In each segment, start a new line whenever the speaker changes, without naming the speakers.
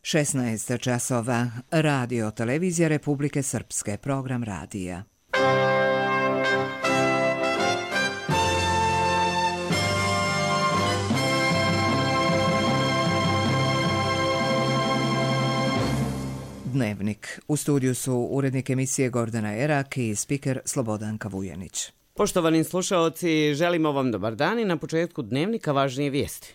16 časova. Radio Televizija Republike Srpske. Program radija. Dnevnik. U studiju su urednik emisije Gordana Erak i spiker Slobodanka Vujanić.
Poštovani slušaoci, želimo vam dobar dan i na početku dnevnika važnije vijesti.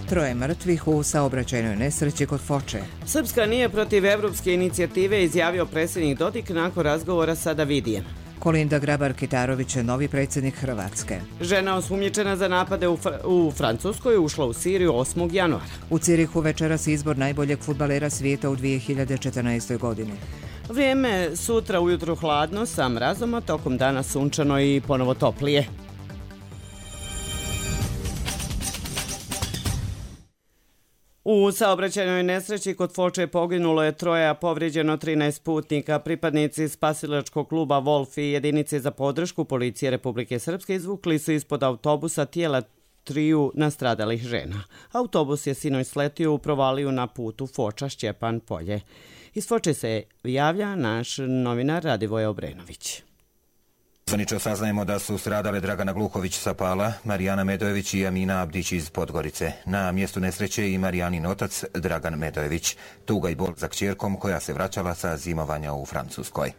Troje mrtvih u saobraćajnoj nesreći kod Foče.
Srpska nije protiv evropske inicijative, izjavio predsjednik Dodik nakon razgovora sa Davidijem.
Kolinda Grabar-Kitarović je novi predsjednik Hrvatske.
Žena osumnjičena za napade u Francuskoj ušla u Siriju 8. januara.
U Cirihu večeras izbor najboljeg fudbalera svijeta u 2014. godini.
Vrijeme sutra ujutro hladno sa mrazom, a tokom dana sunčano i ponovo toplije. U saobraćajnoj nesreći kod Foče poginulo je 3, a povrijeđeno 13 putnika. Pripadnici spasilačkog kluba Wolf i jedinice za podršku policije Republike Srpske izvukli su ispod autobusa tijela 3 nastradalih žena. Autobus je sinoć sletio u provaliju na putu Foča-Šćepan Polje. Iz Foče se javlja naš novinar Radivoje Obrenović.
Zvanično saznajemo da su stradale Dragana Gluhović sa Pala, Marijana Medojević i Amina Abdić iz Podgorice. Na mjestu nesreće i Marijanin otac Dragan Medojević. Tuga i bol za kćerkom koja se vraćala sa zimovanja u Francuskoj.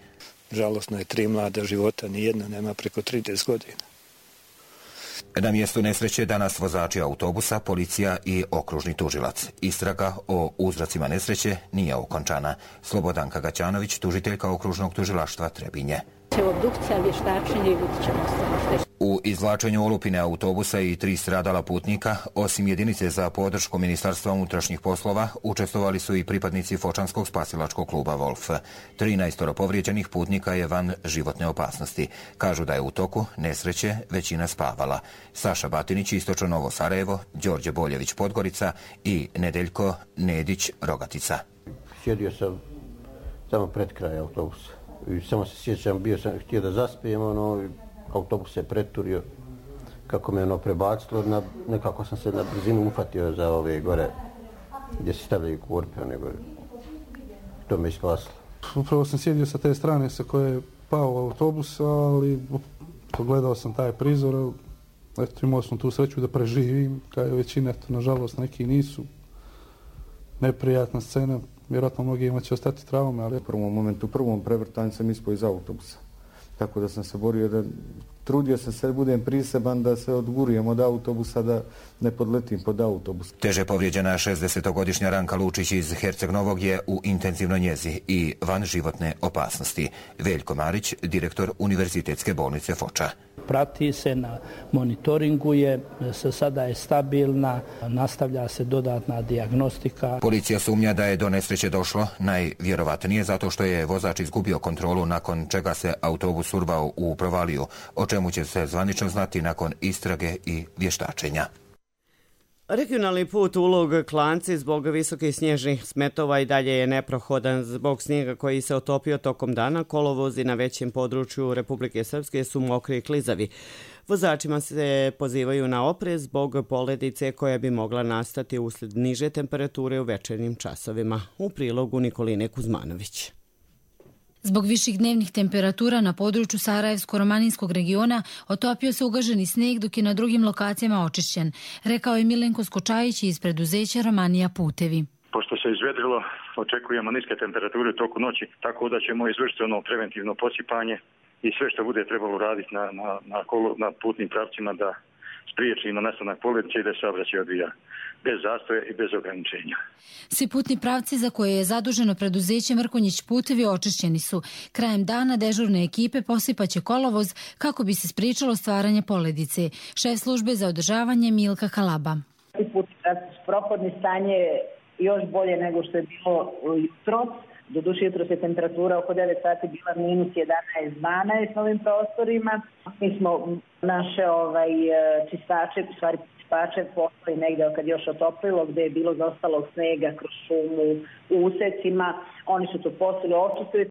Žalosno je 3 mlada života, nijedna nema preko 30 godina.
Na mjestu nesreće danas vozači autobusa, policija i okružni tužilac. Istraga o uzrocima nesreće nije okončana. Slobodanka Gaćanović, tužiteljka okružnog tužilaštva Trebinje.
Obdukcija, vještačenje i vidit ćemo sve.
U izvlačenju olupine autobusa i 3 stradala putnika, osim jedinice za podršku Ministarstva unutrašnjih poslova, učestvovali su i pripadnici Fočanskog spasilačkog kluba Wolf. 13 povrijeđenih putnika je van životne opasnosti. Kažu da je u toku nesreće većina spavala. Saša Batinić, Istočno Novo Sarajevo, Đorđe Boljević Podgorica i Nedeljko Nedić Rogatica.
Sjedio sam samo pred kraj autobusa. I samo se sjećam, bio sam htio da zaspijem, autobus se preturio, kako me prebacilo, nekako sam se na brzinu ufatio za ove gore, gdje se stavljaju korpe, to me isklasilo.
Upravo sam sjedio sa te strane sa koje je pao autobus, ali pogledao sam taj prizor, eto imao sam tu sreću da preživim, kao je većina, nažalost neki nisu. Neprijatna scena. Vjerojatno mnogima će ostati traume, ali u prvom momentu, u prvom prevrtanju sam ispao iz autobusa. Tako da sam se borio trudio sam se da budem priseban da se odgurijem od autobusa, da ne podletim pod autobus.
Teže povrijeđena 60-godišnja Ranka Lučić iz Herceg Novog je u intenzivnoj njezi i van životne opasnosti. Veljko Marić, direktor Univerzitetske bolnice Foča.
Prati se, na monitoringu je, sada je stabilna, nastavlja se dodatna dijagnostika.
Policija sumnja da je do nesreće došlo najvjerovatnije zato što je vozač izgubio kontrolu, nakon čega se autobus urvao u provaliju, o čemu će se zvanično znati nakon istrage i vještačenja.
Regionalni put Ulog-Klanci zbog visokih snježnih smetova i dalje je neprohodan. Zbog snijega koji se otopio tokom dana, kolovozi na većem području Republike Srpske su mokri i klizavi. Vozačima se pozivaju na oprez zbog poledice koja bi mogla nastati usled niže temperature u večernjim časovima. U prilogu Nikoline Kuzmanović.
Zbog viših dnevnih temperatura na području Sarajevsko-romaninskog regiona otopio se ugaženi snijeg, dok je na drugim lokacijama očišćen, rekao je Milenko Skočajić iz preduzeća Romanija Putevi.
Pošto se izvedrilo, očekujemo niske temperature u toku noći, tako da ćemo izvršiti preventivno posipanje i sve što bude trebalo raditi na putnim pravcima da spriječimo nastanak poledice i da se saobraćaj odvija bez zastoja i bez ograničenja.
Svi putni pravci za koje je zaduženo preduzeće Mrkonjić Putevi očišćeni su. Krajem dana dežurne ekipe posipaće kolovoz kako bi se spriječilo stvaranje poledice. Šef službe za održavanje Milka Kalaba.
Putni pravci su prohodni, stanje je još bolje nego što je bilo jutros. Doduše jutros je temperatura oko 9 sati bila minus 11-12 na ovim prostorima. Mi smo naše čistače, u stvari čistače poslali negdje kad još otoplilo, gdje je bilo zostalog snega kroz šumu u usecima. Oni su to poslali, očistili.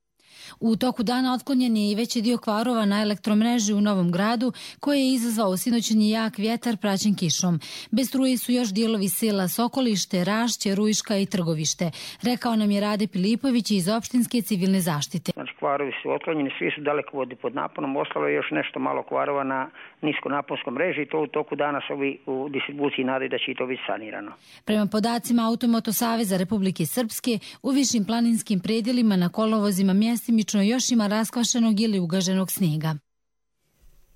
U toku dana otklonjen je i veći dio kvarova na elektromreži u Novom Gradu, koje je izazvao sinoćni jak vjetar praćen kišom. Bez struje su još dijelovi sela Sokolište, Rašće, Rujiška i Trgovište, rekao nam je Rade Pilipović iz opštinske civilne zaštite.
Znači, kvarovi su otklonjeni, svi su dalekovodi pod naponom, ostalo je još nešto malo kvarova na niskonaponskom mreži i to u toku dana su ovi u distribuciji nadaju da će i to biti sanirano.
Prema podacima Automoto Saveza Republike Srpske, u višim planinskim predjelima na kolovozima mjestimično još ima raskvašenog ili ugaženog snijega.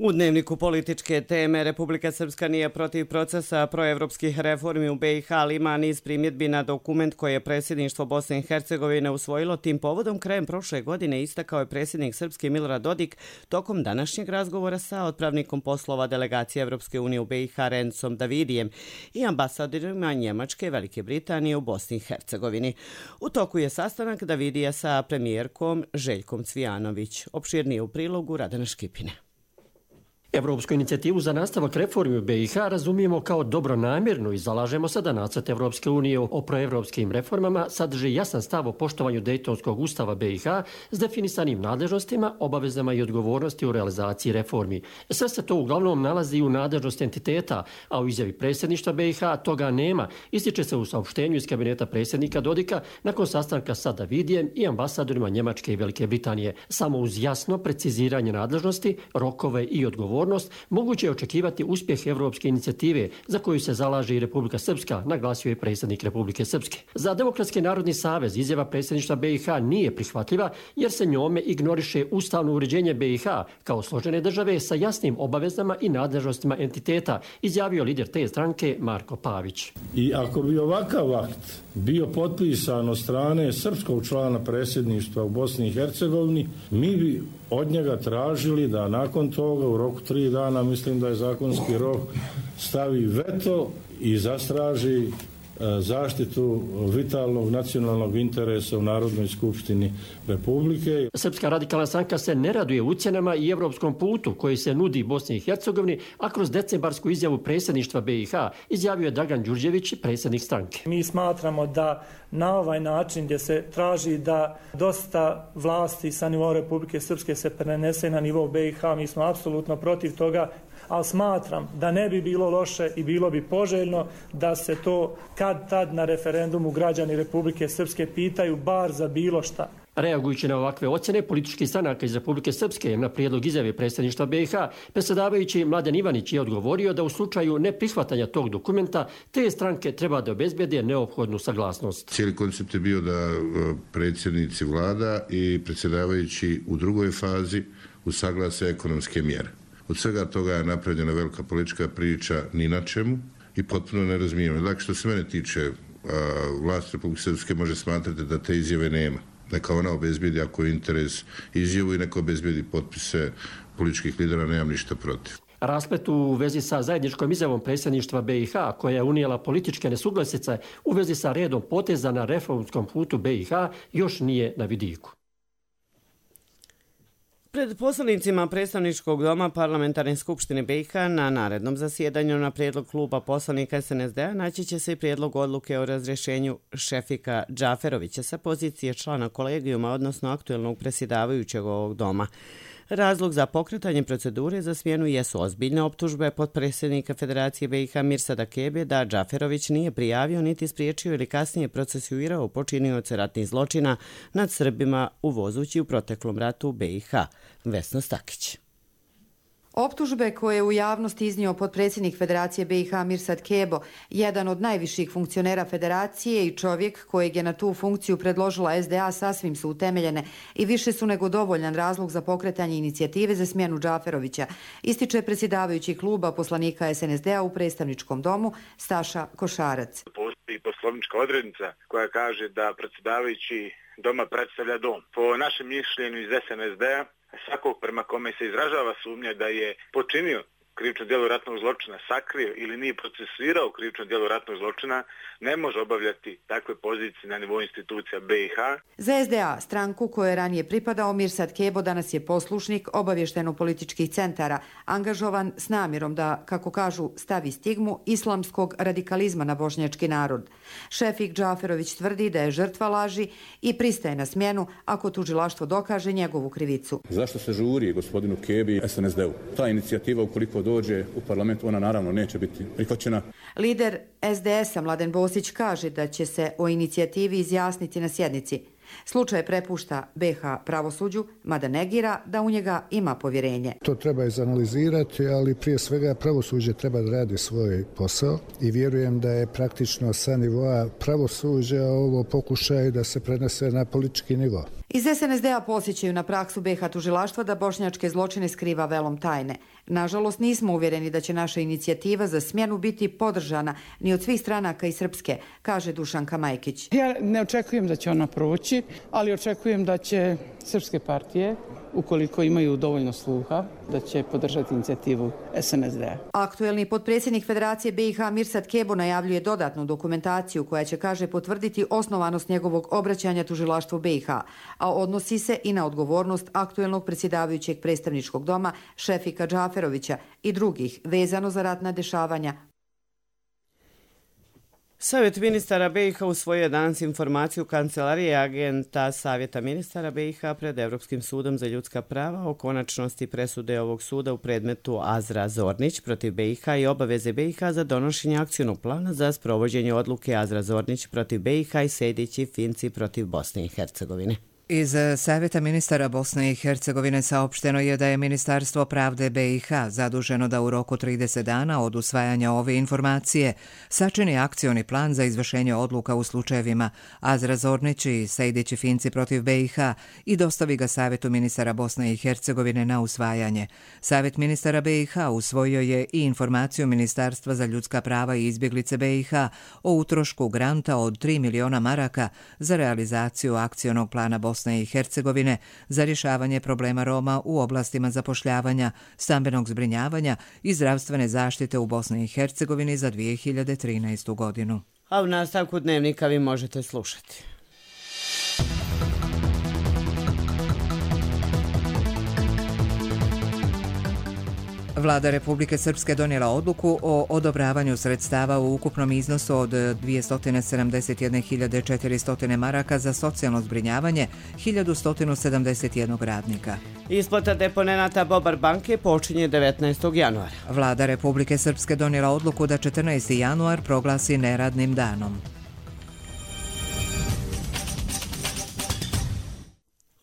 U dnevniku političke teme Republika Srpska nije protiv procesa proevropskih reformi u BiH, ali ima niz primjedbi na dokument koje je predsjedništvo Bosne i Hercegovine usvojilo. Tim povodom krajem prošle godine istakao je predsjednik Srpske Milorad Dodik tokom današnjeg razgovora sa otpravnikom poslova delegacije Evropske unije u BiH Rencom Davidijem i ambasadorima Njemačke i Velike Britanije u Bosni i Hercegovini. U toku je sastanak Davidija sa premijerkom Željkom Cvijanović. Opširnije u prilogu Radana Škipine.
Evropsku inicijativu za nastavak reformi u BiH razumijemo kao dobronamjernu i zalažemo se da nacrt Evropske unije o proevropskim reformama sadrži jasan stav o poštovanju Dejtonskog ustava BiH s definisanim nadležnostima, obavezama i odgovornosti u realizaciji reformi. Sve se to uglavnom nalazi u nadležnosti entiteta, a u izjavi predsjedništva BiH toga nema, ističe se u saopštenju iz kabineta predsjednika Dodika nakon sastanka sa Davidijem i ambasadorima Njemačke i Velike Britanije. Samo uz jasno preciziranje nadležnosti, rokove i odgovornosti moguće je očekivati uspjeh evropske inicijative za koju se zalaže i Republika Srpska, naglasio je predsjednik Republike Srpske. Za Demokratski narodni savez izjava predsjedništva BiH nije prihvatljiva jer se njome ignoriše ustavno uređenje BiH kao složene države sa jasnim obavezama i nadležnostima entiteta, izjavio lider te stranke Marko Pavić.
I ako bi ovakav akt bio potpisan od strane srpskog člana predsjedništva u Bosni i Hercegovini, mi bi od njega tražili da nakon toga u roku 3 dana, mislim da je zakonski rok, stavi veto i zastraži zaštitu vitalnog nacionalnog interesa u Narodnoj skupštini Republike.
Srpska radikalna stranka se ne raduje ucjenama i evropskom putu koji se nudi Bosni i Hercegovini, a kroz decembarsku izjavu predsjedništva BiH izjavio je Dragan Đurđević, predsjednik stranke.
Mi smatramo da na ovaj način gdje se traži da dosta vlasti sa nivoa Republike Srpske se prenese na nivo BiH, mi smo apsolutno protiv toga, ali smatram da ne bi bilo loše i bilo bi poželjno da se to kad tad na referendumu građani Republike Srpske pitaju bar za bilo šta.
Reagujući na ovakve ocjene političkih stranaka iz Republike Srpske na prijedlog izjave predsjedništva BiH, predsjedavajući Mladen Ivanić je odgovorio da u slučaju neprihvatanja tog dokumenta te stranke treba da obezbede neophodnu saglasnost.
Cijeli koncept je bio da predsjednici vlada i predsjedavajući u drugoj fazi usaglase ekonomske mjere. Od svega toga je napravljena velika politička priča ni na čemu i potpuno nerazumijevanje. Dakle, što se mene tiče, vlast Republike Srpske može smatrati da te izjave nema. Neka ona obezbedi ako je interes izjavu i neka obezbedi potpise političkih lidera, nemam ništa protiv.
Rasplet u vezi sa zajedničkom izjavom predsjedništva BiH, koja je unijela političke nesuglasice u vezi sa redom poteza na reformskom putu BiH, još nije na vidiku.
Pred poslanicima predstavničkog doma Parlamentarne skupštine BiH na narednom zasjedanju na prijedlog kluba poslanika SNSD-a naći će se i prijedlog odluke o razrješenju Šefika Džaferovića sa pozicije člana kolegijuma, odnosno aktuelnog predsjedavajućeg ovog doma. Razlog za pokretanje procedure za smjenu jesu ozbiljne optužbe potpredsjednika Federacije BiH Mirsada Kebe da Džaferović nije prijavio niti spriječio ili kasnije procesuirao počinioce ratnih zločina nad Srbima uvozući u proteklom ratu u BiH. Vesna Stakić.
Optužbe koje je u javnosti iznio potpredsjednik Federacije BiH Mirsad Kebo, jedan od najviših funkcionera Federacije i čovjek kojeg je na tu funkciju predložila SDA, sasvim su utemeljene i više su nego dovoljan razlog za pokretanje inicijative za smjenu Džaferovića, ističe predsjedavajući kluba poslanika SNSD-a u predstavničkom domu Staša Košarac.
Postoji poslovnička odrednica koja kaže da predsjedavajući doma predstavlja dom. Po našem mišljenju iz SNSD-a, svakog prema kome se izražava sumnja da je počinio krivično djelo ratnog zločina sakrio ili nije procesuirao krivično djelo ratnog zločina, ne može obavljati takve pozicije na nivou institucija BiH.
Za SDA, stranku kojoj je ranije pripadao, Mirsad Kebo danas je poslušnik obavješteno-političkih centara, angažovan s namjerom da, kako kažu, stavi stigmu islamskog radikalizma na bošnjački narod. Šefik Džaferović tvrdi da je žrtva laži i pristaje na smjenu ako tužilaštvo dokaže njegovu krivicu.
Zašto se žuri gospodinu Kebi i SNSD-u? Ta inicijativa, ukoliko dođe u parlament, ona naravno neće biti prihvaćena.
Lider SDS-a Mladen Bosić kaže da će se o inicijativi izjasniti na sjednici. Slučaj prepušta BiH pravosuđu, mada negira da u njega ima povjerenje.
To treba izanalizirati, ali prije svega pravosuđe treba da radi svoj posao i vjerujem da je praktično sa nivoa pravosuđa ovo pokušaj da se prenese na politički nivo.
Iz SNSD-a podsjećaju na praksu BiH tužilaštva da bošnjačke zločine skriva velom tajne. Nažalost, nismo uvjereni da će naša inicijativa za smjenu biti podržana ni od svih stranaka i srpske, kaže Dušanka Majkić.
Ja ne očekujem da će ona proći, ali očekujem da će srpske partije, ukoliko imaju dovoljno sluha, da će podržati inicijativu SNSD-a.
Aktuelni potpredsjednik Federacije BiH Mirsad Kebo najavljuje dodatnu dokumentaciju koja će, kaže, potvrditi osnovanost njegovog obraćanja tužilaštvu BiH, a odnosi se i na odgovornost aktuelnog predsjedavajućeg predstavničkog doma Šefika Džaferovića i drugih vezano za ratna dešavanja.
Savjet ministara BiH usvojio danas informaciju Kancelarije agenta Savjeta ministara BiH pred Evropskim sudom za ljudska prava o konačnosti presude ovog suda u predmetu Azra Zornić protiv BiH i obaveze BiH za donošenje akcionog plana za sprovođenje odluke Azra Zornić protiv BiH i Sejdić i Finci protiv Bosne i Hercegovine.
Iz Savjeta ministara Bosne i Hercegovine saopšteno je da je Ministarstvo pravde BiH zaduženo da u roku 30 dana od usvajanja ove informacije sačini akcioni plan za izvršenje odluka u slučajevima Azra Zornić i Sejdić i Finci protiv BiH i dostavi ga Savjetu ministara Bosne i Hercegovine na usvajanje. Savjet ministara BiH usvojio je i informaciju Ministarstva za ljudska prava i izbjeglice BiH o utrošku granta od 3 miliona maraka za realizaciju akcionog plana Bosne i Hercegovine za rješavanje problema Roma u oblastima zapošljavanja, stambenog zbrinjavanja i zdravstvene zaštite u Bosni i Hercegovini za 2013. godinu.
A u nastavku dnevnika vi možete slušati.
Vlada Republike Srpske donijela odluku o odobravanju sredstava u ukupnom iznosu od 271.400 maraka za socijalno zbrinjavanje 1.171 radnika.
Isplata deponenata Bobar banke počinje 19. januara.
Vlada Republike Srpske donijela odluku da 14. januar proglasi neradnim danom.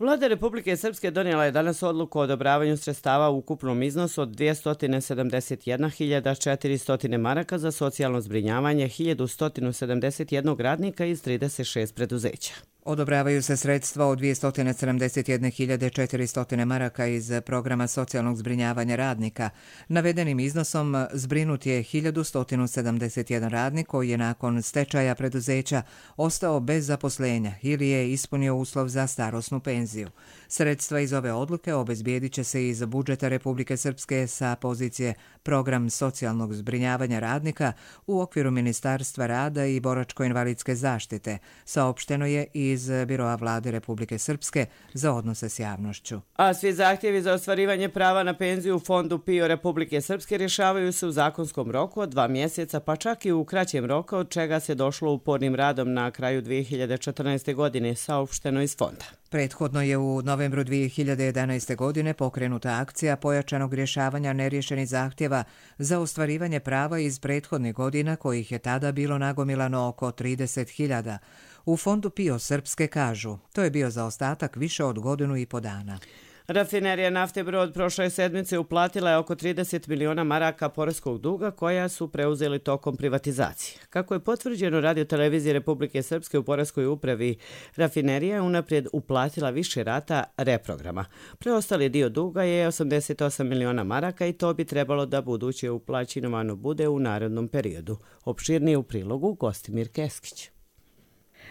Vlada Republike Srpske donijela je danas odluku o odobravanju sredstava u ukupnom iznosu od 271.400 maraka za socijalno zbrinjavanje 1.171 radnika iz 36 preduzeća.
Odobravaju se sredstva od 271.400 maraka iz programa socijalnog zbrinjavanja radnika. Navedenim iznosom zbrinut je 1.171 radnik koji je nakon stečaja preduzeća ostao bez zaposlenja ili je ispunio uslov za starosnu penziju. Sredstva iz ove odluke obezbijedit će se iz budžeta Republike Srpske sa pozicije program socijalnog zbrinjavanja radnika u okviru Ministarstva rada i boračko-invalidske zaštite, saopšteno je iz Biroa Vlade Republike Srpske za odnose s javnošću.
A svi zahtjevi za ostvarivanje prava na penziju u Fondu PIO Republike Srpske rješavaju se u zakonskom roku od 2 mjeseca, pa čak i u kraćem roku, od čega se došlo upornim radom na kraju 2014. godine, saopšteno iz fonda.
Prethodno je u novembru 2011. godine pokrenuta akcija pojačanog rješavanja neriješenih zahtjeva za ostvarivanje prava iz prethodnih godina, kojih je tada bilo nagomilano oko 30.000. U Fondu PIO Srpske kažu, to je bio zaostatak više od 1,5 godina.
Rafinerija nafte Brod prošle sedmice uplatila je oko 30 miliona maraka poreskog duga koja su preuzeli tokom privatizacije. Kako je potvrđeno Radio-televiziji Republike Srpske u poreskoj upravi, rafinerija je unaprijed uplatila više rata reprograma. Preostali dio duga je 88 miliona maraka i to bi trebalo da buduće uplaćinovano bude u narednom periodu. Opširnije u prilogu Gostimir Keskić.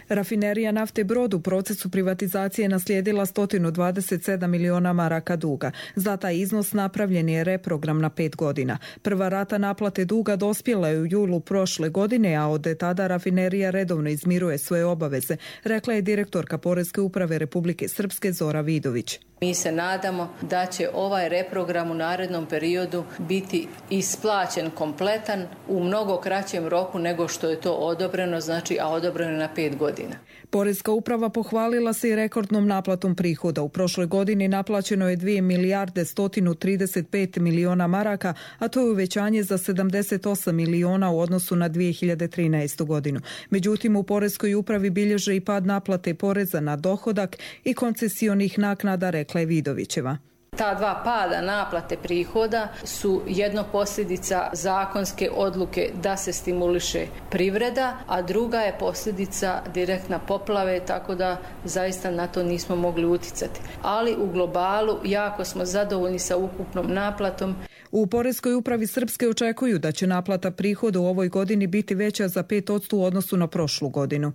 Rafinerija nafte Brod u procesu privatizacije naslijedila 127 miliona maraka duga. Za taj iznos napravljen je reprogram na 5 godina. Prva rata naplate duga dospjela je u julu prošle godine, a od tada rafinerija redovno izmiruje svoje obaveze, rekla je direktorka Poreske uprave Republike Srpske Zora Vidović.
Mi se nadamo da će ovaj reprogram u narednom periodu biti isplaćen kompletan u mnogo kraćem roku nego što je to odobreno, a odobreno je na 5 godina.
Poreska uprava pohvalila se i rekordnom naplatom prihoda. U prošloj godini naplaćeno je 2 milijarde 135 miliona maraka, a to je uvećanje za 78 miliona u odnosu na 2013. godinu. Međutim, u Poreskoj upravi bilježe i pad naplate poreza na dohodak i koncesionih naknada, rekla je Vidovićeva.
Ta dva pada naplate prihoda su jedno posljedica zakonske odluke da se stimuliše privreda, a druga je posljedica direktna poplave, tako da zaista na to nismo mogli uticati. Ali u globalu jako smo zadovoljni sa ukupnom naplatom.
U Poreskoj upravi Srpske očekuju da će naplata prihoda u ovoj godini biti veća za 5% u odnosu na prošlu godinu.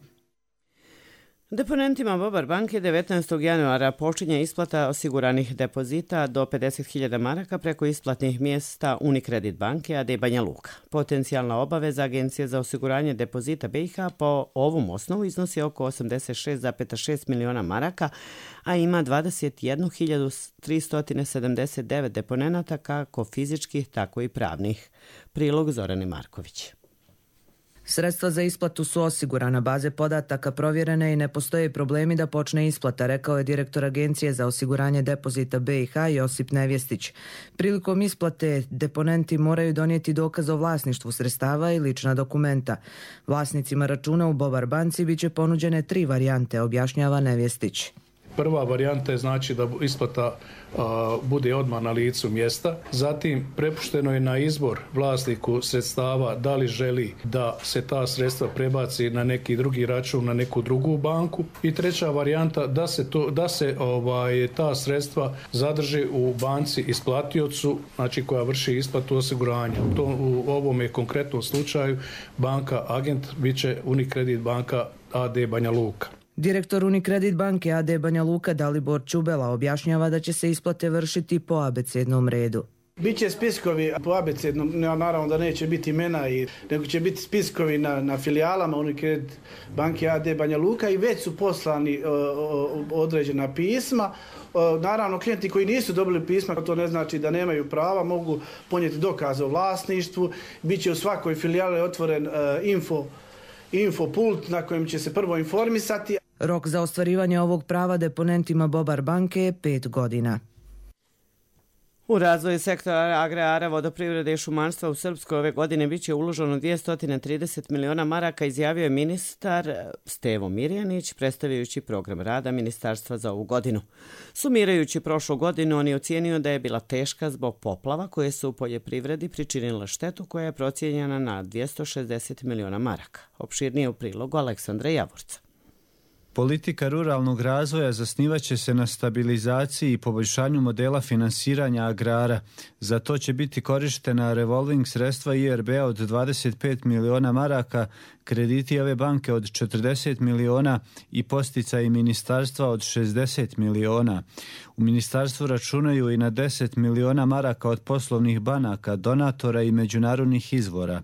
Deponentima Bobar banke 19. januara počinje isplata osiguranih depozita do 50.000 maraka preko isplatnih mjesta Unicredit banke AD Banja Luka. Potencijalna obaveza Agencije za osiguranje depozita BiH po ovom osnovu iznosi oko 86,6 miliona maraka, a ima 21.379 deponenata kako fizičkih, tako i pravnih. Prilog Zorane Marković.
Sredstva za isplatu su osigurana, baze podataka provjerene i ne postoje problemi da počne isplata, rekao je direktor Agencije za osiguranje depozita BiH Josip Nevjestić. Prilikom isplate deponenti moraju donijeti dokaz o vlasništvu sredstava i lična dokumenta. Vlasnicima računa u Bobar banci biće ponuđene 3 varijante, objašnjava Nevjestić.
Prva varijanta je znači da isplata bude odmah na licu mjesta. Zatim prepušteno je na izbor vlasniku sredstava da li želi da se ta sredstva prebaci na neki drugi račun, na neku drugu banku. I treća varijanta da se ta sredstva zadrži u banci isplatiocu, znači koja vrši isplatu osiguranja. U ovom konkretnom slučaju banka agent biće Unicredit banka AD Banja Luka.
Direktor Unicredit banke AD Banja Luka Dalibor Čubela objašnjava da će se isplate vršiti po abecednom redu.
Biće spiskovi po abecednom, naravno da neće biti imena, nego će biti spiskovi na filijalama Unicredit banke AD Banja Luka i već su poslani određena pisma. Naravno, klijenti koji nisu dobili pisma, to ne znači da nemaju prava, mogu ponijeti dokaz o vlasništvu. Biće u svakoj filijali otvoren infopult na kojem će se prvo informisati.
Rok za ostvarivanje ovog prava deponentima Bobar banke je 5 godina.
U razvoju sektora agrara, vodoprivrede i šumarstva u Srpskoj ove godine biće uloženo 230 miliona maraka, izjavio je ministar Stevo Mirjanić, predstavljajući program rada ministarstva za ovu godinu. Sumirajući prošlu godinu, on je ocijenio da je bila teška zbog poplava koje su u poljoprivredi pričinile štetu koja je procijenjena na 260 miliona maraka. Opširnije u prilogu Aleksandra Javorca.
Politika ruralnog razvoja zasnivaće se na stabilizaciji i poboljšanju modela finansiranja agrara. Za to će biti korištena revolving sredstva IRB-a od 25 miliona maraka, krediti ove banke od 40 miliona i posticaji ministarstva od 60 miliona. U ministarstvu računaju i na 10 miliona maraka od poslovnih banaka, donatora i međunarodnih izvora.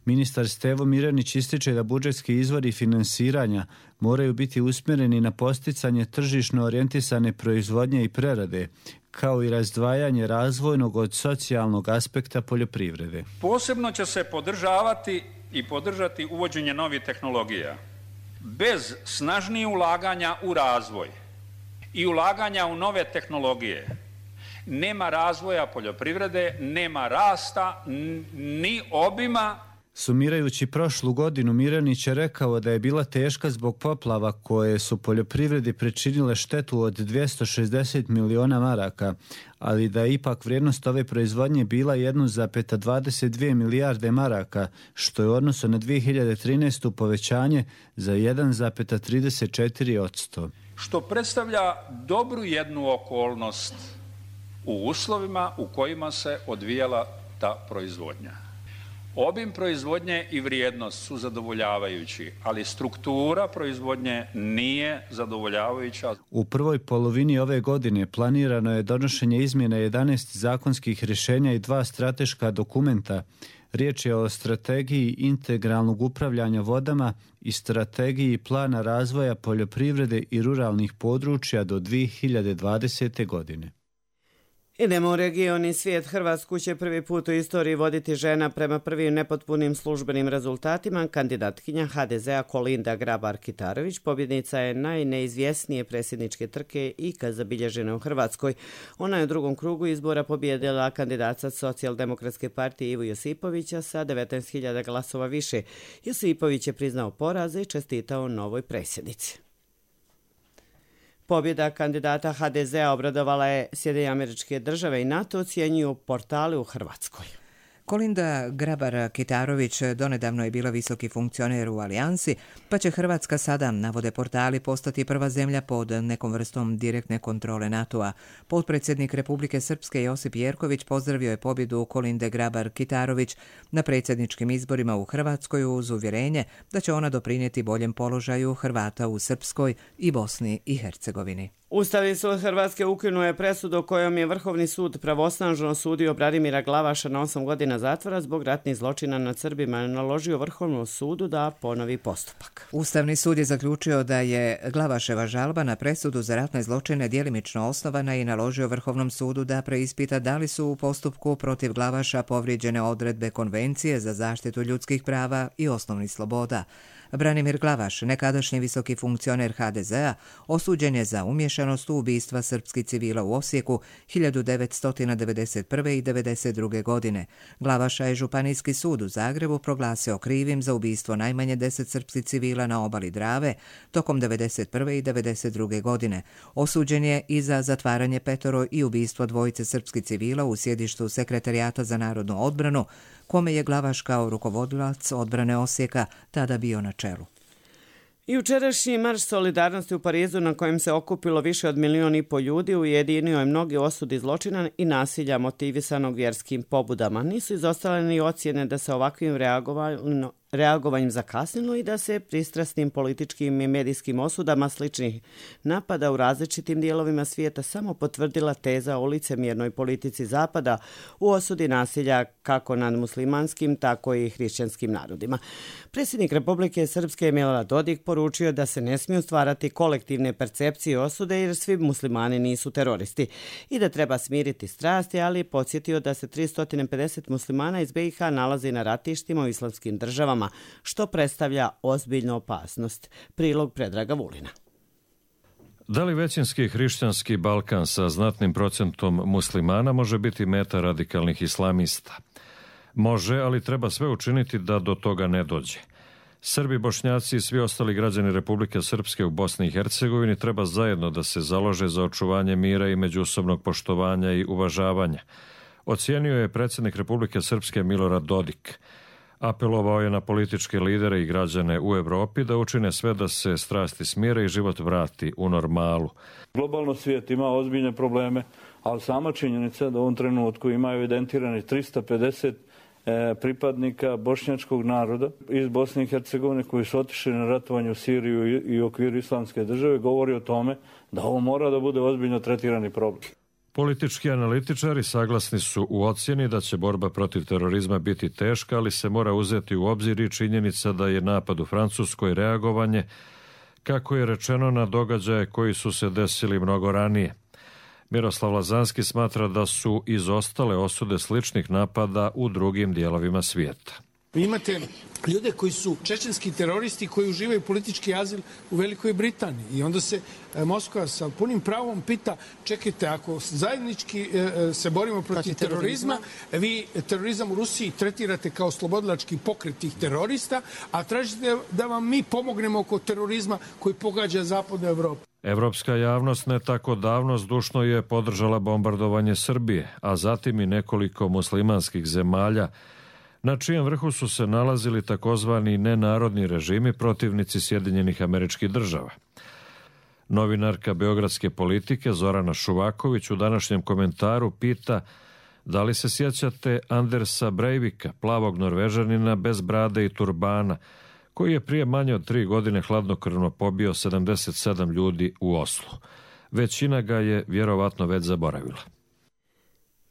Ministar Stevo Mirjanić ističe da budžetski izvori finansiranja moraju biti usmjereni na posticanje tržišno orijentisane proizvodnje i prerade, kao i razdvajanje razvojnog od socijalnog aspekta poljoprivrede.
Posebno će se podržavati i podržati uvođenje novih tehnologija. Bez snažnijih ulaganja u razvoj i ulaganja u nove tehnologije nema razvoja poljoprivrede, nema rasta, ni obima.
Sumirajući prošlu godinu, Mirjanić je rekao da je bila teška zbog poplava koje su poljoprivredi pričinile štetu od 260 miliona maraka, ali da je ipak vrijednost ove proizvodnje bila 1,22 milijarde maraka, što je u odnosu na 2013. povećanje za 1,34%.
Što predstavlja dobru jednu okolnost u uslovima u kojima se odvijala ta proizvodnja. Obim proizvodnje i vrijednost su zadovoljavajući, ali struktura proizvodnje nije zadovoljavajuća.
U prvoj polovini ove godine planirano je donošenje izmjena 11 zakonskih rješenja i 2 strateška dokumenta. Riječ je o strategiji integralnog upravljanja vodama i strategiji plana razvoja poljoprivrede i ruralnih područja do 2020. godine.
Idemo u region i svijet. Hrvatsku će prvi put u istoriji voditi žena prema prvim nepotpunim službenim rezultatima. Kandidatkinja HDZ-a Kolinda Grabar-Kitarović pobjednica je najneizvjesnije predsjedničke trke ikad zabilježene u Hrvatskoj. Ona je u drugom krugu izbora pobjedila kandidata Socijaldemokratske partije Ivu Josipovića sa 19.000 glasova više. Josipović je priznao poraz i čestitao novoj predsjednici. Pobjeda kandidata HDZ-a obradovala je Sjedinjene Američke Države i NATO, ocjenjuju portali u Hrvatskoj.
Kolinda Grabar-Kitarović donedavno je bila visoki funkcioner u Alijansi, pa će Hrvatska sada, navode portali, postati prva zemlja pod nekom vrstom direktne kontrole NATO-a. Potpredsjednik Republike Srpske Josip Jerković pozdravio je pobjedu Kolinde Grabar-Kitarović na predsjedničkim izborima u Hrvatskoj uz uvjerenje da će ona doprinijeti boljem položaju Hrvata u Srpskoj i Bosni i Hercegovini.
Ustavni sud Hrvatske ukinuo je presudu kojom je Vrhovni sud pravosnažno osudio Branimira Glavaša na 8 godina zatvora zbog ratnih zločina nad Srbima i naložio Vrhovnom sudu da ponovi postupak.
Ustavni sud je zaključio da je Glavaševa žalba na presudu za ratne zločine djelimično osnovana i naložio Vrhovnom sudu da preispita da li su u postupku protiv Glavaša povrijeđene odredbe Konvencije za zaštitu ljudskih prava i osnovnih sloboda. Branimir Glavaš, nekadašnji visoki funkcioner HDZ-a, osuđen je za umješanost u ubistva srpskih civila u Osijeku 1991. i 1992. godine. Glavaša je Županijski sud u Zagrebu proglasio krivim za ubistvo najmanje 10 srpskih civila na obali Drave tokom 1991. i 1992. godine. Osuđen je i za zatvaranje 5 i ubistvo 2 srpskih civila u sjedištu Sekretarijata za narodnu odbranu, kome je Glavaš kao rukovodilac odbrane Osijeka tada bio na čelu.
Jučerašnji marš solidarnosti u Parizu na kojem se okupilo više od 1,5 milijuna ljudi ujedinio je mnogi osudi zločina i nasilja motivisanog vjerskim pobudama. Nisu izostale ni ocjene da se ovakvim reagovanjem zakasnilo i da se pristrasnim političkim i medijskim osudama sličnih napada u različitim dijelovima svijeta samo potvrdila teza o licemjernoj politici Zapada u osudi nasilja kako nad muslimanskim, tako i hrišćanskim narodima. Predsjednik Republike Srpske Milorad Dodik poručio da se ne smiju stvarati kolektivne percepcije osude jer svi muslimani nisu teroristi i da treba smiriti strasti, ali podsjetio da se 350 muslimana iz BiH nalazi na ratištima u islamskim državama, što predstavlja ozbiljnu opasnost. Prilog Predraga Vulina.
Da li većinski hrišćanski Balkan sa znatnim procentom muslimana može biti meta radikalnih islamista? Može, ali treba sve učiniti da do toga ne dođe. Srbi, Bošnjaci i svi ostali građani Republike Srpske u Bosni i Hercegovini treba zajedno da se založe za očuvanje mira i međusobnog poštovanja i uvažavanja. Ocijenio je predsjednik Republike Srpske Milorad Dodik. Apelovao je na političke lidere i građane u Evropi da učine sve da se strasti smire i život vrati u normalu.
Globalno svijet ima ozbiljne probleme, ali sama činjenica da u ovom trenutku ima evidentirani 350 pripadnika bošnjačkog naroda iz Bosne i Hercegovine koji su otišli na ratovanje u Siriju i u okviru islamske države govori o tome da ovo mora da bude ozbiljno tretirani problem.
Politički analitičari saglasni su u ocjeni da će borba protiv terorizma biti teška, ali se mora uzeti u obzir i činjenica da je napad u Francuskoj reagovanje, kako je rečeno, na događaje koji su se desili mnogo ranije. Miroslav Lazanski smatra da su izostale osude sličnih napada u drugim dijelovima svijeta.
Vi imate ljude koji su čečenski teroristi koji uživaju politički azil u Velikoj Britaniji i onda se Moskva sa punim pravom pita, čekajte, ako zajednički se borimo protiv terorizma, vi terorizam u Rusiji tretirate kao slobodilački pokret tih terorista, a tražite da vam mi pomognemo oko terorizma koji pogađa zapadnu Evropu.
Evropska javnost ne tako davno zdušno je podržala bombardovanje Srbije, a zatim i nekoliko muslimanskih zemalja, na čijem vrhu su se nalazili takozvani nenarodni režimi protivnici Sjedinjenih Američkih Država. Novinarka beogradske politike Zorana Šuvaković u današnjem komentaru pita Da li se sjećate Andersa Breivika, plavog Norvežanina bez brade i turbana, koji je prije manje od 3 godine hladnokrvno pobio 77 ljudi u Oslu? Većina ga je vjerovatno već zaboravila.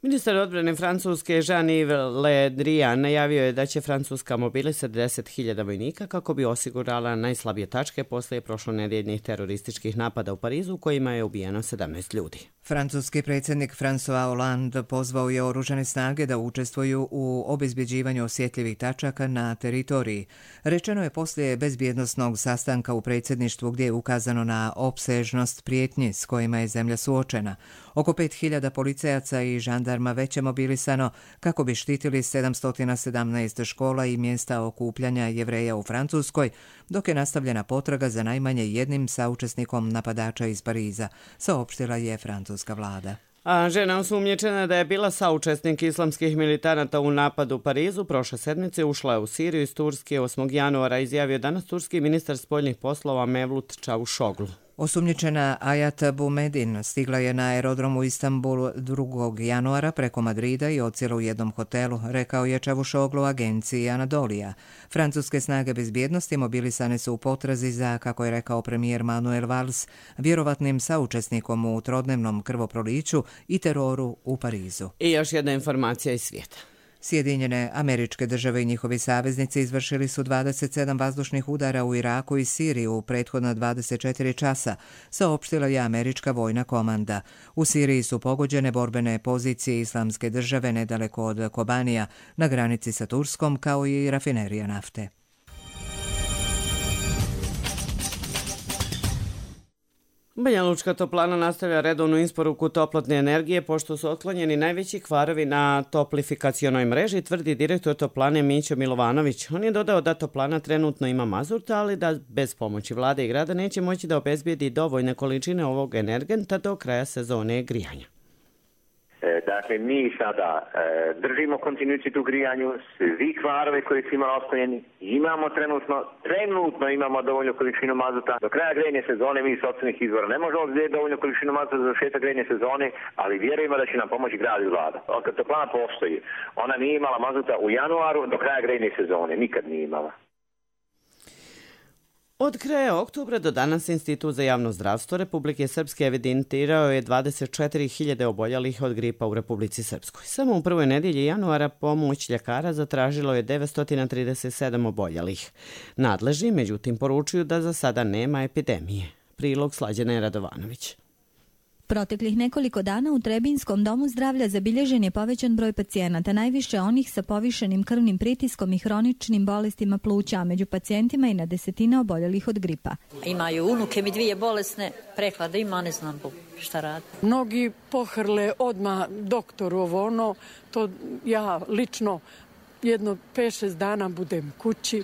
Ministar odbrane Francuske Jean-Yves Le Drian najavio je da će Francuska mobilisati 10.000 vojnika kako bi osigurala najslabije tačke poslije prošlonedjeljnih terorističkih napada u Parizu u kojima je ubijeno 17 ljudi.
Francuski predsjednik François Hollande pozvao je oružane snage da učestvuju u obezbjeđivanju osjetljivih tačaka na teritoriji. Rečeno je poslije bezbjednosnog sastanka u predsjedništvu gdje je ukazano na opsežnost prijetnji s kojima je zemlja suočena. Oko 5.000 policajaca i žandarma već je mobilisano kako bi štitili 717 škola i mjesta okupljanja Jevreja u Francuskoj, dok je nastavljena potraga za najmanje jednim saučesnikom napadača iz Pariza, saopštila je francuska vlada.
A žena osumnjičena da je bila saučesnik islamskih militanata u napadu u Parizu prošle sedmice ušla je u Siriju iz Turske 8. januara, izjavio danas turski ministar spoljnih poslova Mevlut Čavuşoglu.
Osumnjičena Ajat Boumedin stigla je na aerodrom u Istanbulu 2. januara preko Madrida i odsjela u jednom hotelu, rekao je Čavuşoglu agenciji Anadolija. Francuske snage bezbjednosti mobilisane su u potrazi za, kako je rekao premijer Manuel Valls, vjerovatnim saučesnikom u trodnevnom krvoproliću i teroru u Parizu.
I još jedna informacija iz svijeta.
Sjedinjene Američke Države i njihovi saveznici izvršili su 27 vazdušnih udara u Iraku i Siriji u prethodna 24 časa, saopštila je američka vojna komanda. U Siriji su pogođene borbene pozicije Islamske države nedaleko od Kobanija, na granici sa Turskom, kao i rafinerija nafte.
Banja Lučka toplana nastavlja redovnu isporuku toplotne energije pošto su otklonjeni najveći kvarovi na toplifikacionoj mreži, tvrdi direktor toplane Mićo Milovanović. On je dodao da toplana trenutno ima mazut, ali da bez pomoći vlade i grada neće moći da obezbijedi dovoljne količine ovog energenta do kraja sezone grijanja.
Dakle, mi sada držimo kontinuitet u grijanju, svi kvarove koji su imali otklonjeni, imamo trenutno imamo dovoljnu količinu mazuta. Do kraja grejne sezone mi iz sopstvenih izvora ne možemo obzeti dovoljnu količinu mazuta za završetak grejne sezone, ali vjerujemo da će nam pomoći grad i vlada. Otkad toplana postoji, ona nije imala mazuta u januaru do kraja grejne sezone, nikad nije imala.
Od kraja oktobra do danas Institut za javno zdravstvo Republike Srpske evidentirao je 24.000 oboljelih od gripa u Republici Srpskoj. Samo u prvoj nedjelji januara pomoć ljekara zatražilo je 937 oboljelih. Nadležni, međutim, poručuju da za sada nema epidemije. Prilog Slađana Radovanović.
Proteklih nekoliko dana u Trebinskom domu zdravlja zabilježen je povećan broj pacijenata, najviše onih sa povišenim krvnim pritiskom i hroničnim bolestima pluća, a među pacijentima i na desetine oboljelih od gripa.
Imaju unuke mi 2 bolesne, prehlada ima, ne znam šta radi.
Mnogi pohrle odmah doktoru ovo ono, to ja lično jedno 5-6 dana budem kući,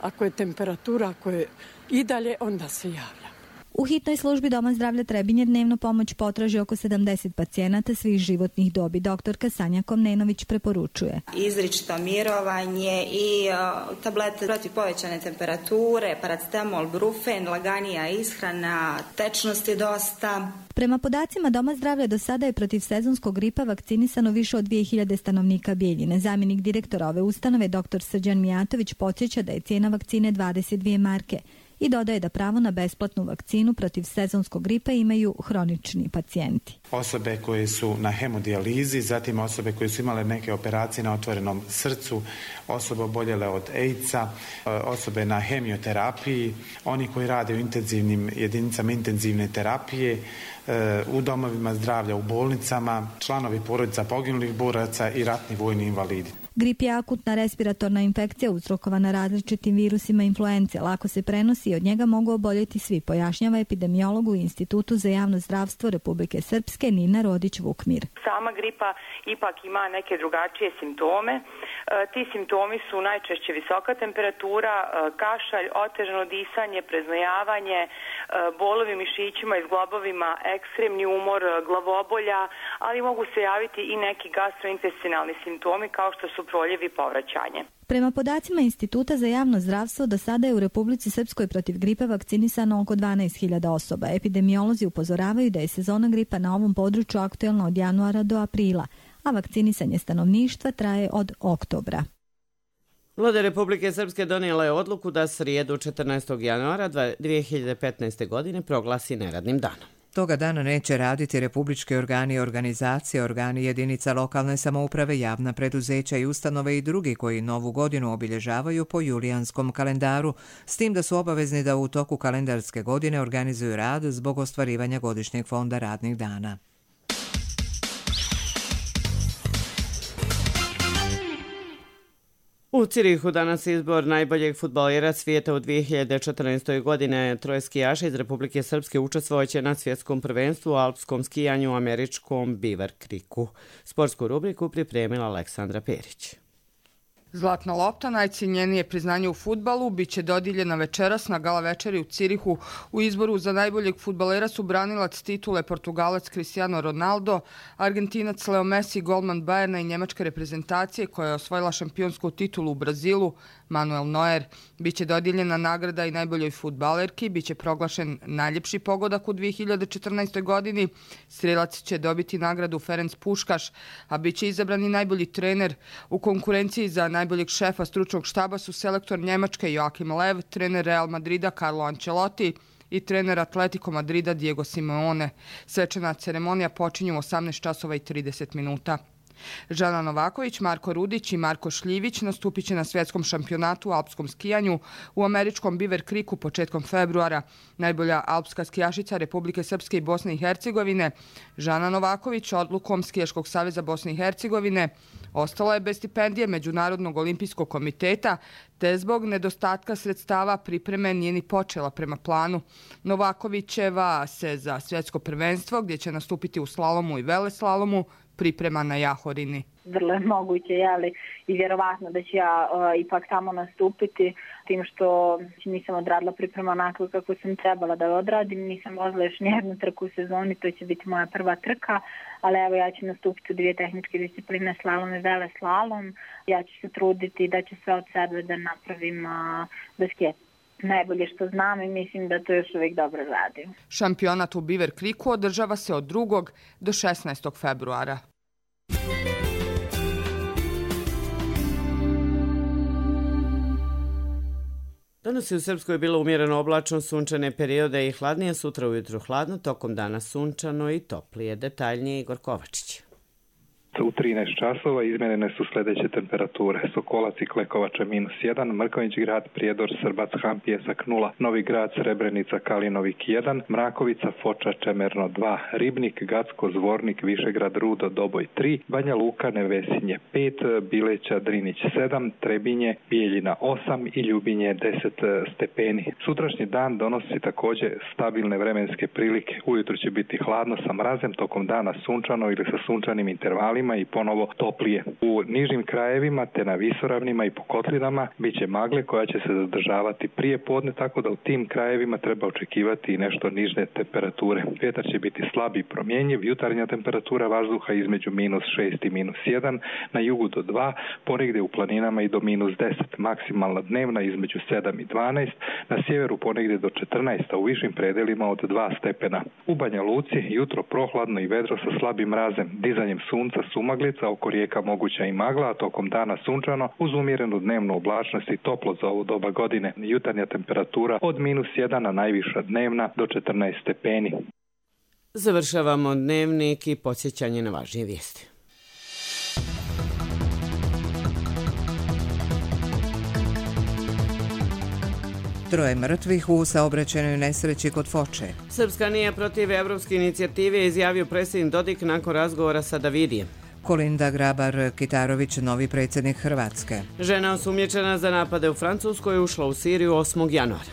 ako je temperatura, ako je i dalje, onda se javlja.
U hitnoj službi Doma zdravlja Trebinje dnevno pomoć potraži oko 70 pacijenata svih životnih dobi. Doktorka Sanja Komnenović preporučuje
izričito mirovanje i tablete protiv povećane temperature, paracetamol, brufen, laganija ishrana, tečnost je dosta.
Prema podacima Doma zdravlja do sada je protiv sezonskog gripa vakcinisano više od 2000 stanovnika Bijeljine. Zamjenik direktora ove ustanove, dr. Srđan Mijatović, podsjeća da je cijena vakcine 22 marke. I dodaje da pravo na besplatnu vakcinu protiv sezonskog gripa imaju hronični pacijenti.
Osobe koje su na hemodijalizi, zatim osobe koje su imale neke operacije na otvorenom srcu, osobe oboljele od AIDS-a, osobe na hemioterapiji, oni koji rade u intenzivnim jedinicama intenzivne terapije, u domovima zdravlja, u bolnicama, članovi porodica poginulih boraca i ratni vojni invalidi.
Grip je akutna respiratorna infekcija uzrokovana različitim virusima influence. Lako se prenosi i od njega mogu oboljeti svi, pojašnjava epidemiolog u Institutu za javno zdravstvo Republike Srpske Nina Rodić-Vukmir.
Sama gripa ipak ima neke drugačije simptome. Ti simptomi su najčešće visoka temperatura, kašalj, otežano disanje, preznojavanje, bolovi u mišićima i zglobovima, ekstremni umor, glavobolja, ali mogu se javiti i neki gastrointestinalni simptomi kao što su proljev i povraćanje.
Prema podacima Instituta za javno zdravstvo, do sada je u Republici Srpskoj protiv gripe vakcinisano oko 12.000 osoba. Epidemiolozi upozoravaju da je sezona gripa na ovom području aktuelna od januara do aprila, a vakcinisanje stanovništva traje od oktobra.
Vlada Republike Srpske donijela je odluku da srijedu 14. januara 2015. godine proglasi neradnim danom.
Toga dana neće raditi republički organi i organizacije, organi jedinica lokalne samouprave, javna preduzeća i ustanove i drugi koji novu godinu obilježavaju po julijanskom kalendaru, s tim da su obavezni da u toku kalendarske godine organizuju rad zbog ostvarivanja godišnjeg fonda radnih dana.
U Cirihu danas izbor najboljeg fudbalera svijeta u 2014. godine. Troje skijaša iz Republike Srpske učestvovaće na svjetskom prvenstvu u alpskom skijanju u američkom Beaver Creeku. Sportsku rubriku pripremila Aleksandra Perić.
Zlatna lopta, najcijenjenije priznanje u fudbalu, bit će dodijeljena večeras na gala večeri u Cirihu. U izboru za najboljeg fudbalera su branilac titule Portugalac Cristiano Ronaldo, Argentinac Leo Messi, golman Bayerna i njemačke reprezentacije koja je osvojila šampionsku titulu u Brazilu, Manuel Neuer. Biće dodijeljena nagrada i najboljoj fudbalerki, biće proglašen najljepši pogodak u 2014. godini. Strelac će dobiti nagradu Ferenc Puškaš, a biće izabran i najbolji trener. U konkurenciji za najboljeg šefa stručnog štaba su selektor Njemačke Joachim Lev, trener Real Madrida Carlo Ancelotti i trener Atletico Madrida Diego Simeone. Svečana ceremonija počinje u 18:30. Žana Novaković, Marko Rudić i Marko Šljivić nastupit će na svjetskom šampionatu u alpskom skijanju u američkom Beaver Creeku početkom februara. Najbolja alpska skijašica Republike Srpske i Bosne i Hercegovine, Žana Novaković, odlukom Skijaškog saveza Bosne i Hercegovine ostala je bez stipendije Međunarodnog olimpijskog komiteta, te zbog nedostatka sredstava pripreme nije ni počela prema planu. Novakovićeva se za svjetsko prvenstvo, gdje će nastupiti u slalomu i veleslalomu, priprema na Jahorini.
Vrlo je moguće, i vjerovatno da ću ja ipak tamo nastupiti, tim što nisam odradila priprema onako kako sam trebala da odradim, nisam vozila još nijednu trku u sezoni, to će biti moja prva trka, ali evo ja ću nastupiti u 2 tehničke discipline, slalom i veleslalom. Ja ću se truditi da ću sve od sebe da napravim basket. Najbolje što znam i mislim da to još uvijek dobro radim.
Šampionat u Beaver Creeku održava se od 2. do 16. februara.
Danas je u Srpskoj bilo umjereno oblačno, sunčane periode i hladnije, sutra ujutru hladno, tokom dana sunčano i toplije. Detaljnije Igor Kovačić.
U 13 časova izmjerene su sljedeće temperature. Sokolac i Klekovača -1, Mrkonjić grad, Prijedor, Srbac, Han, Pjesak 0, Novi grad, Srebrenica, Kalinovik 1, Mrakovica, Foča, Čemerno 2, Ribnik, Gacko, Zvornik, Višegrad, Rudo, Doboj 3, Banja Luka, Nevesinje 5, Bileća, Drinić 7, Trebinje, Bijeljina 8 i Ljubinje 10 stepeni. Sutrašnji dan donosi također stabilne vremenske prilike. Ujutro će biti hladno sa mrazem, tokom dana sunčano ili sa sunčanim intervalima i ponovo toplije. U nižim krajevima te na visoravnima i po kotlinama bit će magle koja će se zadržavati prije podne, tako da u tim krajevima treba očekivati i nešto niže temperature. Vjetar će biti slab i promjenjiv, jutarnja temperatura vazduha između -6 i -1, na jugu do 2, ponegdje u planinama i do -10, maksimalna dnevna između 7 i 12, na sjeveru ponegdje do 14, a u višim predelima od 2 stepena. U Banja Luci jutro prohladno i vedro sa slabim mrazem, dizanjem sunca sumaglica, oko rijeka moguća i magla, a tokom dana sunčano uz umjerenu dnevnu oblačnost i toplo za ovu doba godine. Jutarnja temperatura od -1, a najviša dnevna do 14 stepeni.
Završavamo dnevnik i podsjećanje na važnije vijesti.
Troje mrtvih u saobraćajnoj nesreći kod Foče.
Srpska nije protiv evropske inicijative, izjavio predsjednik Dodik nakon razgovora sa Davidijem.
Kolinda Grabar-Kitarović, novi predsjednik Hrvatske.
Žena osumnjičena za napade u Francuskoj ušla u Siriju 8. januara.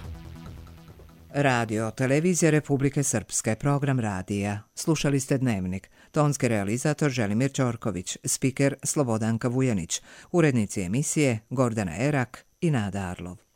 Radio, televizija Republike Srpske, program radija. Slušali ste Dnevnik. Tonski realizator Želimir Ćorković, spiker Slobodanka Vujanić, urednici emisije Gordana Erak i Nada Arlov.